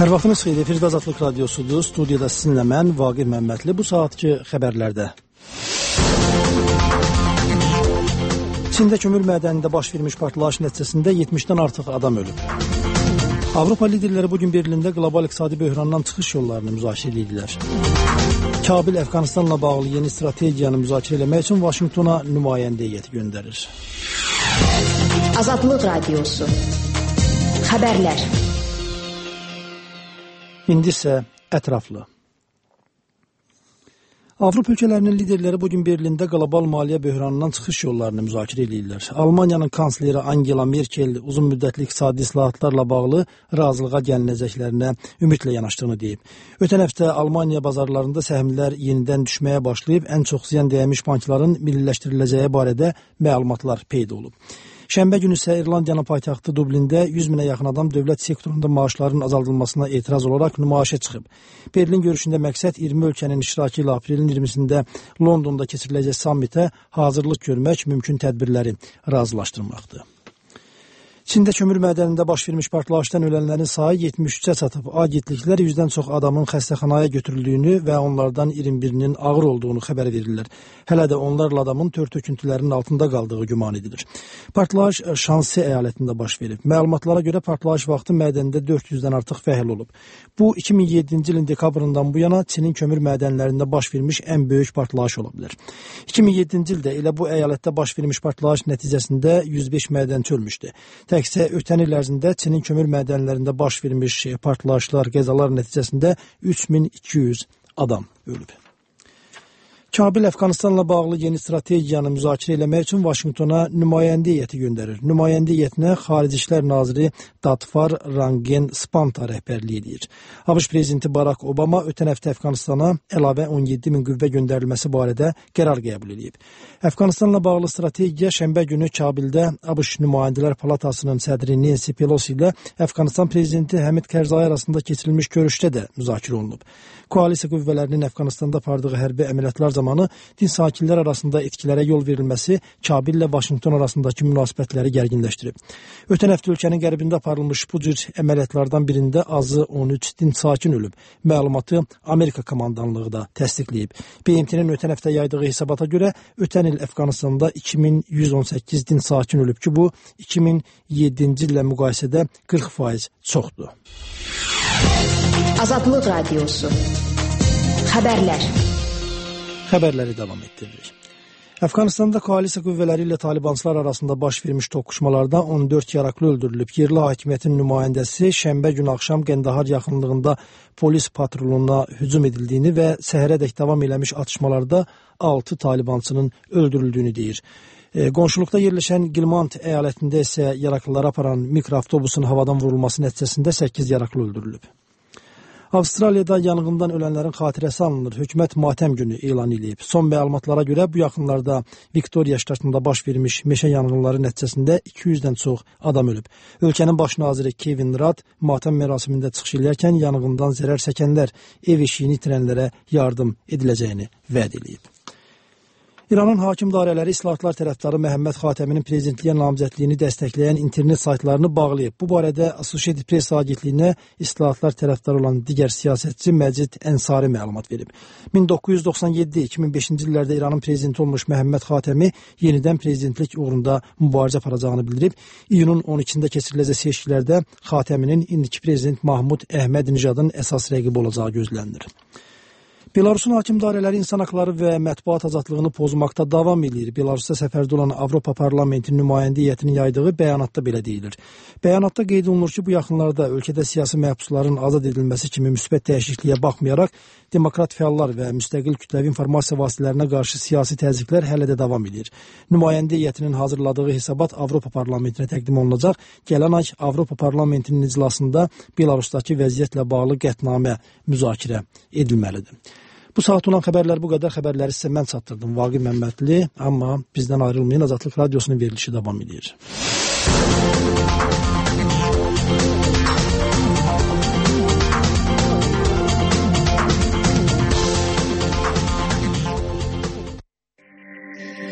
Hər vaxtınız xeyir, efirdə Azadlıq Radiosudur. Studiyada sizinlə mən, Vaqif Məmmədli. Bu saatki xəbərlərdə. Çində kömür mədənində baş vermiş partlayış nəticəsində 70-dən artıq adam ölüb. Avropa liderləri bugün Berlində qlobal iqtisadi böhrandan çıxış yollarını müzakirə edirlər. Kabil Əfqanistanla bağlı yeni strategiyanı müzakirə etmək üçün Vaşinqtona nümayəndə heyəti göndərir. Azadlıq Radiosu. Xəbərlər. İndi isə ətraflı. Avropa ölkələrinin liderləri bugün Berlində qlobal maliyyə böhranından çıxış yollarını müzakirə edirlər. Almaniyanın kansleri Angela Merkel uzun müddətli iqtisadi islahatlarla bağlı razılığa gəlinəcəklərinə ümidlə yanaşdığını deyib. Ötən həftə Almaniya bazarlarında səhmlər yenidən düşməyə başlayıb, ən çox ziyan dəymiş bankların milliləşdiriləcəyi barədə məlumatlar peyda olub. Şənbə günü isə İrlandiyanın paytaxtı Dublində 100 minə yaxın adam dövlət sektorunda maaşların azaldılmasına etiraz olaraq nümayişə çıxıb. Berlin görüşündə məqsəd 20 ölkənin iştirakı ilə aprelin 20-sində Londonda keçiriləcək sammitə hazırlıq görmək, mümkün tədbirləri razılaşdırmaqdır. Çində kömür mədənində baş vermiş partlayışdan ölənlərin sayı 73-ə çatıb. Agentliklər 100-dən çox adamın xəstəxanaya götürüldüyünü və onlardan 21-nin ağır olduğunu xəbər verirlər. Hələ də onlarla adamın tör-töküntülərinin altında qaldığı güman edilir. Partlayış Şansi əyalətində baş verib. Məlumatlara görə partlayış vaxtı mədəndə 400-dən artıq fəhl olub. Bu 2007-ci ilin dekabrından bu yana Çinin kömür mədənlərində baş vermiş ən böyük partlayış ola bilər. 2007-ci ildə elə bu əyalətdə baş vermiş partlayış nəticəsində 105 mədənçi ölmüşdü. Təkcə ötən il ərzində Çinin kömür mədənlərində baş vermiş partlayışlar, qəzalar nəticəsində 3200 adam ölüb. Kabil Əfqanistanla bağlı yeni strategiyanı müzakirə etmək üçün Vaşinqtona nümayəndə heyəti göndərir. Nümayəndə heyətinə Xarici İşlər naziri Dadfar Rangen Spanta rəhbərlik edir. ABŞ prezidenti Barack Obama ötən həftə Əfqanistana əlavə 17 min qüvvə göndərilməsi barədə qərar qəbul edib. Əfqanistanla bağlı strategiya şənbə günü Kabildə ABŞ Nümayəndələr Palatasının sədri Nancy Pelosi ilə Əfqanistan prezidenti Həmid Kərzai arasında keçirilmiş görüşdə də müzakirə olunub. Koalisiya qüvvələrinin Əfqanistanda apardığı hərbi əməliyyatlar zamanı din sakinlər arasında etkilərə yol verilməsi Kabil ilə Vaşinqton arasındakı münasibətləri gərginləşdirib. Ötən həftə ölkənin qərbində aparılmış bu cür əməliyyatlardan birində azı 13 din sakin ölüb. Məlumatı Amerika komandanlığı da təsdiqləyib. BMT-nin ötən həftə yaydığı hesabata görə ötən il Əfqanistanda 2118 din sakin ölüb ki, bu 2007-ci illə müqayisədə 40% çoxdur. Azadlıq Radiosu. Xəbərlər. Xəbərləri davam etdiririk. Əfqanistanda koalisiya qüvvələri ilə talibanslar arasında baş vermiş toqquşmalarda 14 yaraqlı öldürülüb. Yerli hakimiyyətin nümayəndəsi şənbə günü axşam Qəndahar yaxınlığında polis patruluna hücum edildiyini və səhərədək davam eləmiş atışmalarda 6 talibansının öldürüldüyünü deyir. Qonşuluqda yerləşən Gilmant əyalətində isə yaraqlılara aparan mikroavtobusun havadan vurulması nəticəsində 8 yaraqlı öldürülüb. Avstraliyada yanğından ölənlərin xatirəsi alınır. Hökumət matəm günü elan edib. Son məlumatlara görə bu yaxınlarda Viktoriya ştatında baş vermiş meşə yanğınları nəticəsində 200-dən çox adam ölüb. Ölkənin baş naziri Kevin Rudd matəm mərasimində çıxış edərkən yanğından zərər çəkənlər, ev eşiyini itirənlərə yardım ediləcəyini vəd edib. İranın hakim dairələri islahatlar tərəfdarı Məhəmməd Xatəminin prezidentliyə namizədliyini dəstəkləyən internet saytlarını bağlayıb. Bu barədə Associated Press agentliyinə islahatlar tərəfdarı olan digər siyasətçi Məcid Ənsari məlumat verib. 1997-2005-ci illərdə İranın prezidenti olmuş Məhəmməd Xatəmi yenidən prezidentlik uğrunda mübarizə aparacağını bildirib. İyunun 12-də keçiriləcək seçkilərdə Xatəminin indiki prezident Mahmud Əhməd-Nijadın əsas rəqibi olacağı gözlənilir. Belarusun hakim dairələri insan haqları və mətbuat azadlığını pozmaqda davam edir. Belarusda səfərdə olan Avropa Parlamentinin nümayəndə heyətinin yaydığı bəyanatda belə deyilir. Bəyanatda qeyd olunur ki, bu yaxınlarda ölkədə siyasi məhbusların azad edilməsi kimi müsbət dəyişikliyə baxmayaraq, demokrat fəallar və müstəqil kütləvi informasiya vasitələrinə qarşı siyasi təzyiqlər hələ də davam edir. Nümayəndə heyətinin hazırladığı hesabat Avropa Parlamentinə təqdim olunacaq. Gələn ay Avropa Parlamentinin iclasında Belarusdakı vəziyyətlə bağlı qətnamə müzakirə edilməlidir. Bu saat olan xəbərlər bu qədər. Xəbərləri sizə mən çatdırdım. Vaqif Məmmədli, amma bizdən ayrılmayın. Azadlıq Radiosunun verilişi davam edir.